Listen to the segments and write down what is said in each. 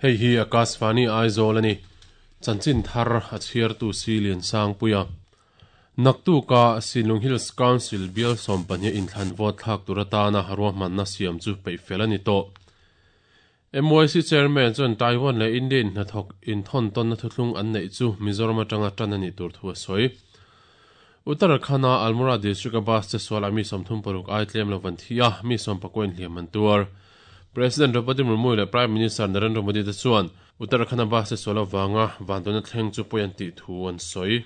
Hei hi Akashvani Aizawl a ni. Chanchin thar a chhiartu si Liansangpuia. Naktuka Sinlung Hills Council bial 12 inthlan vote thlak tur atana ruahmanna siam chu peih fel a ni tawh. MYC Chairman chuan Taiwan leh India in hnathawk inthawn tawnna thuthlung an neih chu Mizoram atanga tan a nih tur thu a sawi. Uttarakhand-a Almora district-a bus che sualah mi 36 ai tlem lo an thi a, mi 19 inhliam an tuar. President Draupadi Murmu leh Prime Minister Narendra Modi te chuan Uttarakhand-a bus che sual avanga vanduaina thleng chu pawi an tih thu an sawi.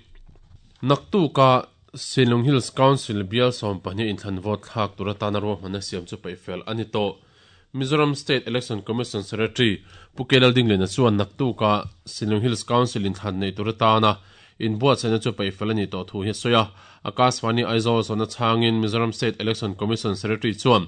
Naktuka Sinlung Hills Council bial 12 inthlan vote thlak tur atana ruahmanna siam chu peih fel a ni tawh. Mizoram State Election Commission Secretary Pu K Laldingliana chuan naktuka Sinlung Hills Council inthlan nei tur atana inbuatsaihna chu peih fel a nih tawh thu hi a sawi a. Akashvani Aizawl zawhna chhangin Mizoram State Election Commission Secretary chuan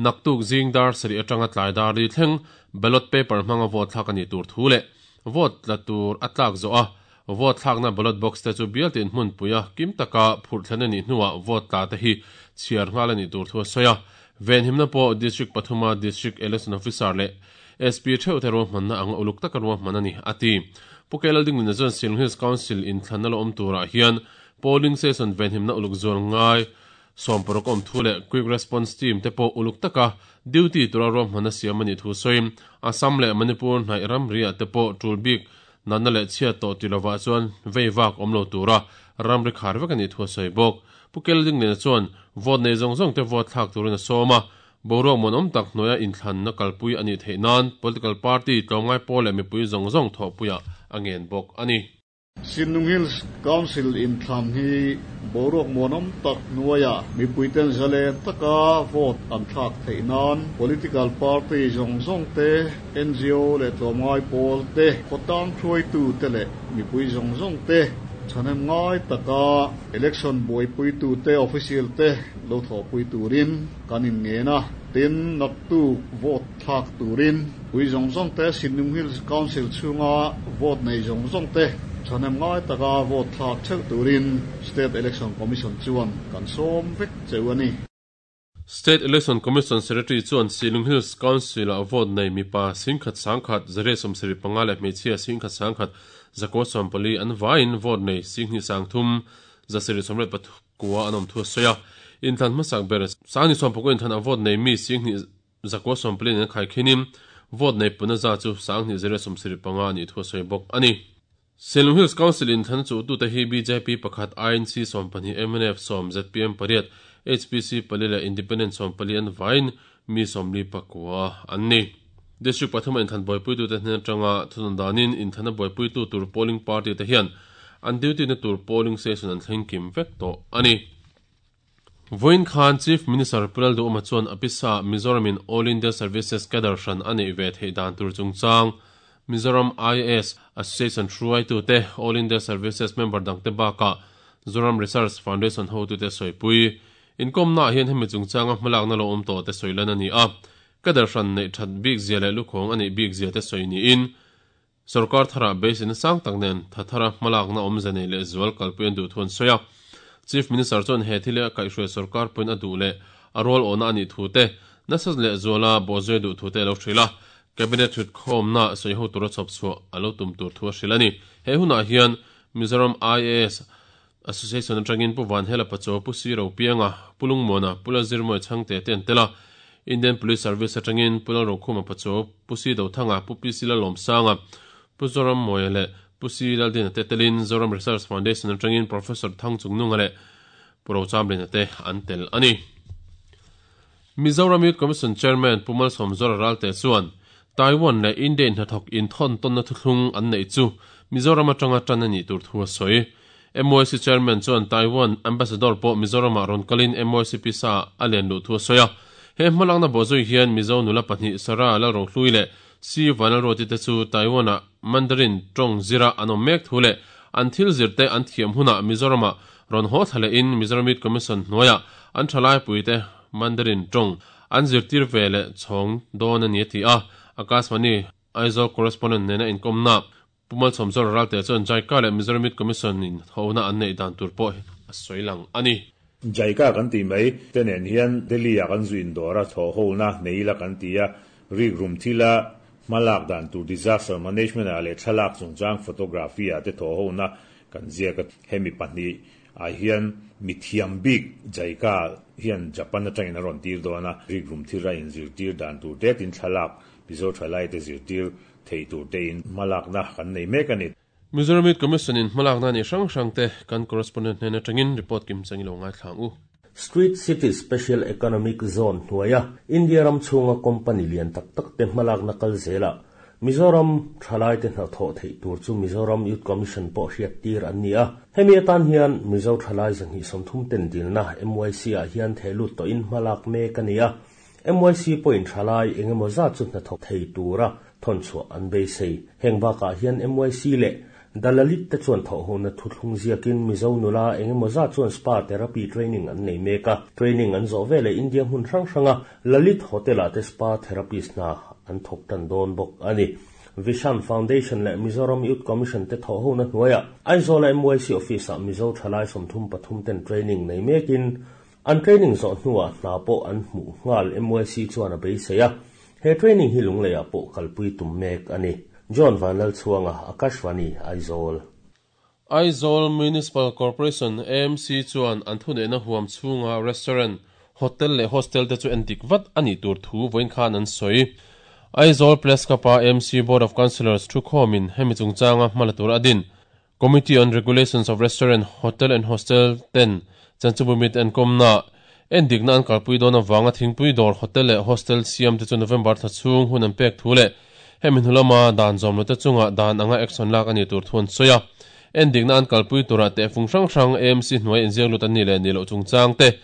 naktuk zing dar sarih atanga tlai dar li thleng ballot paper hmanga vote thlak a nih tur thu leh vote tla tur a tlak zawh a vote thlakna ballot box te chu bialtin hmunpui a kim taka phurh thlen a nih hnuah vote tla te hi chhiar nghal a nih tur thu a sawi a. Venhimna pawh District pathuma District Election Officer leh SP theuh te ruahmanna anga uluk taka ruahman a ni, a ti. Pu K Laldinglina chuan Silung Hills Council inthlanna la awm turah hian polling station venhimna uluk zual ngai 60 awm thu leh Quick Response Team te pawh uluk taka duty tura ruahmanna siam a nih thu sawiin Assam leh Manipur hnaih ramriah te pawh tul bik natna leh chhiat tawh ti lovah chuan vei vak awm lo tura ramri khar vek a nih thu a sawi bawk. Pu Keldingliana chuan vote nei zawng zawng te vote thlak turin a sawm a, boruak muanawm tak hnuaia inthlanna kalpui a nih theih nan political party tlawmngai pawl leh mipui zawng zawng thawhpuiah a ngen bawk a ni. Sinlung Hills Council inthlan hi boruak muanawm tak hnuaia mipuiten zalen taka vote an thlak theih nan political party zawng zawng te, NGO leh tlawmngai pawl te, khawtlang hruaitu te leh mipui zawng zawng te thahnem ngai taka election buaipuitu te, official te lo thawhpui turin kan inngen a. Tin, naktuk vote thlak turin pui zawng zawng te, Sinlung Hills Council chhunga vote nei zawng zawng te thahnem ngai taka vote thlak theuh turin State Election Commission chuan kan sawm vek cheu a ni. State Election Commission Secretary chuan Silung Hills Council-ah vote nei mipa 10,100, 175 leh hmeichhia 10,100, 940 an vaiin vote nei 2,300, 789 an awm thu a sawi a. Inthlan hmasak ber 2019 inthlan a vote nei mi 2,000, 940 an khaikhinin vote nei puna za chu 2,175 a nih thu a sawi bawk a ni. Silung Hills Council inthlan chuhtute hi bjp pakhat, INC 12, mnf 10, zpm pariat, HPC pali leh Independent 14 an vaiin mi 49 an ni. District pathuma inthlan buaipuitute hnen atanga thunawn danin inthlana buaipuitu tur polling party te hian an duty na tur polling station an thleng kim vek tawh a ni. Vawiin khan Chief Minister Pu Lalduhawma chuan a pisa Mizoramin All India Services cadre hran a neih ve theih dan tur chungchang Mizoram IAS Association hruaitute, All India Services member dangte bakah Zoram Research Foundation hotute sawipui. Inkawmnaah hian hemi chungchanga hmalakna lo awm tawhte sawi lan a ni a, cadre hran neih that bik zia leh lukhawng a neih bik zia te sawi niin Sorkar tharah beiseina sang tak nen tha thara hmalakna awmze nei leh zual kalpui an duh thu an sawi a. Chief Minister chuan he thil hi a kaihhruai sorkar pawhin a duh leh a rual awhna a nih thu te, nasa leh zuala bawhzui a duh thu te a lo hrilh a. Cabinet thutkhawmna sawiho tura chhawp chhuah a lo tum tur thu a hrilh a ni. He hunah hian Mizoram IAS Association atangin Pu Vanhela Pachaw, Pu Si Ropianga, Pu Lungmuana, Pu Lalzirmawia Chhangte te an tel a. Indian Police Service atangin Pu Lalrokhuma Pachaw, Pu Si Dothanga, Pu PC Lalawmsanga, Pu Zorammawia leh Pu Si Laldina te telin Zoram Research Foundation atangin Professor Thang Chungnunga leh Pu Rochamlina te an tel a ni. Mizoram Youth Commission Chairman Pu Malsawmzawra Ralte chuan Taiwan leh India in hnathawk inthawn tawnna thuthlung an neih chu Mizoram atanga tan a nih tur thu a sawi. MYC Chairman chuan Taiwan Ambassador pawh Mizoramah rawn kalin MYC pisa a len luh thu a sawi a. He hmalakna bawhzui hian Mizo nula pahnih Sarah Lalrohlui leh Si Vanlalruati te chu Taiwan-ah Mandarin tawng zira an awm mek thu leh an thil zirte an thiam hunah Mizoramah rawn haw thla lehin Mizoram Youth Commission hnuaiah an thalaipuite Mandarin tawng an zirtir ve leh chhawng dawn a ni a ti a. Akashvani Aizawl Correspondent nena inkawmna Pu Malsawmzawra Ralte chuan JICA leh Mizoram Youth Commission in hona an neih dan tur pawh a sawi lang a ni. JICA kan tih mai te nen hian Delhi ah kan zu indawr a, thawh hona nei ila kan ti a, rik rum thila Hmalak dan tur disaster management ah leh thlalak chungchang photography ah te thawh ho na kan ziak a. Hemi pahnih ah hian mithiam bik JICA hian Japan atangin a rawn tir dawn a, rikrum thil a inzirtir dan tur te tin thlalak Mizo thalai te zirtir thei tur te in hmalakna kan nei mek a ni. Mizoram Youth Commission in hmalakna ni hrang hrang te kan correspondent hnen atangin report kim chang i lo ngaithla ang u. Street City Special Economic Zone hnuaia India ram chhunga company lian tak tak te hmalakna kal zelah Mizoram thalaite hnathawh theih tur chu Mizoram Youth Commission pawh hriat tir an ni a. Hemi atan hian Mizo thalai 230 ten dilna MYC ah hian thehlut tawhin hmalak mek a ni a. MYC pawhin thalai engemaw zat chu hnathawk thei tura thawnchhuah an beisei. Heng bakah hian MYC leh Dalalit te chuan thawhhona thuthlung ziakin Mizo nula engemaw zat chuan spa therapy training an nei mek a. Training an zawh veleh India hmun hrang hranga Lalit Hotel-ah te spa therapist hna an thawk tan dawn bawk a ni. Vishan Foundation leh Mizoram Youth Commission te thawhhona hnuaiah Aizawl-a MYC Office-ah Mizo thalai 33 ten training nei mekin an training zawh hnuah hna pawh an hmuh nghal MYC chuan a beisei a. He training hi Lungleiah pawh kalpui tum mek a ni. John Vanlalchhuanga, Akashvani, Aizawl. Aizawl Municipal Corporation, AMC, chuan an thuneihna huam chhunga restaurant, hotel leh hostel te chu endik vat a nih tur thu vawiin khan an sawi. Aizawl Press Club-a AMC Board of Councillors thukhawmin hemi chungchanga hmala tur a din. Committee on Regulations of Restaurant, Hotel and Hostel ten Chanchubumit an kawmna endikna an kalpui dawn avanga thingpui dawr hotel leh hostel siam te chu November thla chhung hun an pek thu leh hemi hnu lama dan zawm lo te chunga dan anga action lak a ni tur thu an sawi a. Endikna an kalpui turah tehfung hrang hrang AMC hnuai inziak lut an nih leh nih loh chungchang te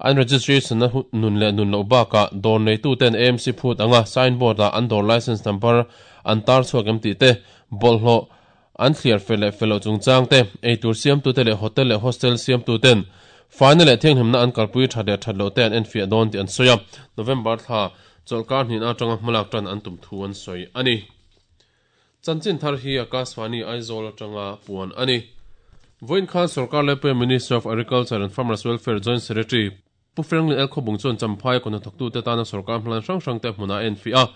an registration na nun leh nun loh bakah dawr neitu ten AMC phut anga signboard ah an dawr license number an tar chhuak em tih te bawlhhlawh An thliar fel leh fel loh chungchang te, eitur siamtute leh hotel leh hostel siamtuten faina leh thianghlimna an kalpui that leh that loh te an enfiah dawn tih an sawi a, November thla chawlhkar hnihna atanga hmalak tan an tum thu an sawi a ni. Chanchin thar hi Akashvani Aizawl atanga puan a ni. Vawiin khan Sorkar Laipui Minister of Agriculture and Farmers Welfare Joint Secretary Pu Franklin L. Khawbung chuan Champhai kawhnathawktute tana sorkar hmalan hrang hrangte hmunah a enfiah a.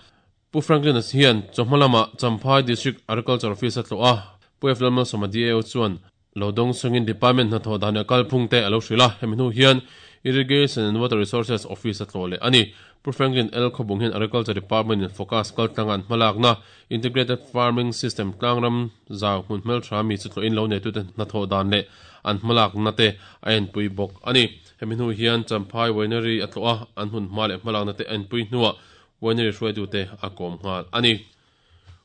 Pu Franklin-a hian chawhma lamah Champhai District Agriculture Office a tlawh a, Pu F. Lalmalsawma DAO chuan lo dawng chungin Department hnathawh dan leh kalphung te a lo hrilh a, hemi hnu hian Irrigation and Water Resources Office a tlawh leh a ni. Pu Franklin L. Khawbung hian Agriculture Department in focus kaltlanga an hmalakna Integrated Farming System tlangram zau hmun hmeltha mi chu tlawhin lo neitute hnathawh dan leh an hmalakna te a enpui bawk a ni. Hemi hnu hian Champhai Winery a tlawh a, an hmun hma leh hmalakna te a enpui hnuah Winery hruaitute a kawm nghal a ni.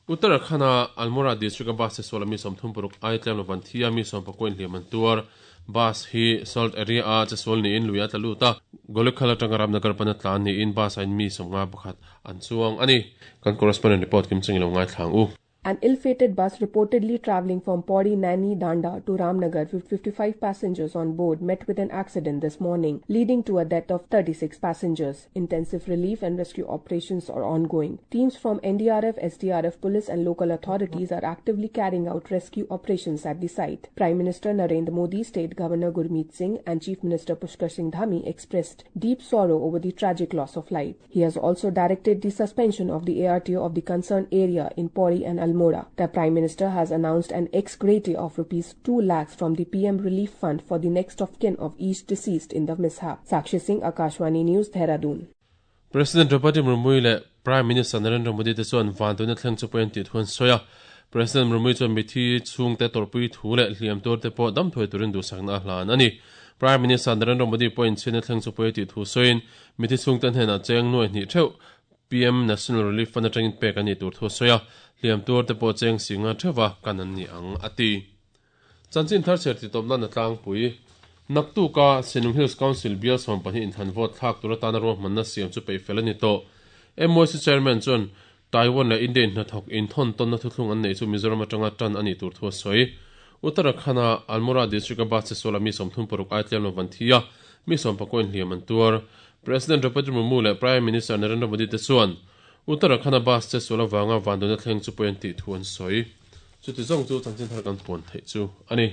Uttarakhand-a Almora district-a bus te suala mi 36 ai tlem lo van thi a, mi 19 inhliam an tuar. Bus hi Salt area-a chesual niin lui a tla lut a, Golekhal atanga Ramnagar pana tlan niin bus-ah in mi 51 an chuang a ni. Kan correspondent report kim chungin lo ngaithla ang u. An ill-fated bus reportedly travelling from Pauri Nani Danda to Ramnagar with 55 passengers on board met with an accident this morning, leading to a death of 36 passengers. Intensive relief and rescue operations are ongoing. Teams from NDRF, SDRF, police and local authorities are actively carrying out rescue operations at the site. Prime Minister Narendra Modi, State Governor Gurmeet Singh and Chief Minister Pushkar Singh Dhami expressed deep sorrow over the tragic loss of life. He has also directed the suspension of the ARTO of the concerned area in Pauri and Almora. The Prime Minister has announced an ex gratia of rupees 2 lakhs from the PM Relief Fund for the next of kin of each deceased in the mishap. Sakshi Singh, Akashvani News, Dehradun. President Draupadi Murmu leh Prime Minister Narendra Modi te chuan vanduaina thleng chu pawi an tih thu an sawi a. President Murmu chuan mithi chhungte tawrhpui thu leh hliam tur te pawh dam thuai turin duhsakna a hlan a ni. Prime Minister Narendra Modi pawhin chhiatna thleng chu pawi a tih thu sawiin mithi chhungte hnenah cheng nuai hnih theuh PM National Relief Fund atangin pek an nih tur thu a sawi a, hliam tur te pawh cheng singa theuha kan an ni ang, a ti. Chanchin thar chher titawp nan a tlangpui. Naktuka Sinung Hills Council bial 12 inthlan vote thlak tur atana ruahmanna siam chu peih fel a ni tawh. MYC Chairman chuan Taiwan leh India in hnathawk inthawn tawnna thuthlung an neih chu Mizoram atanga tan a nih tur thu a sawi. Uttarakhand-a Almora district-a bus chesuala mi 36 ai tlem lo van thi a, mi 19 inhliam an tuar. President Draupadi Murmu leh Prime Minister Narendra Modi te chuan Uttarakhand-a bus chesual avanga vanduaina thleng chu pawi an tih thu an sawi. Chuti zawng chu chanchin thar kan puan theih chu a ni.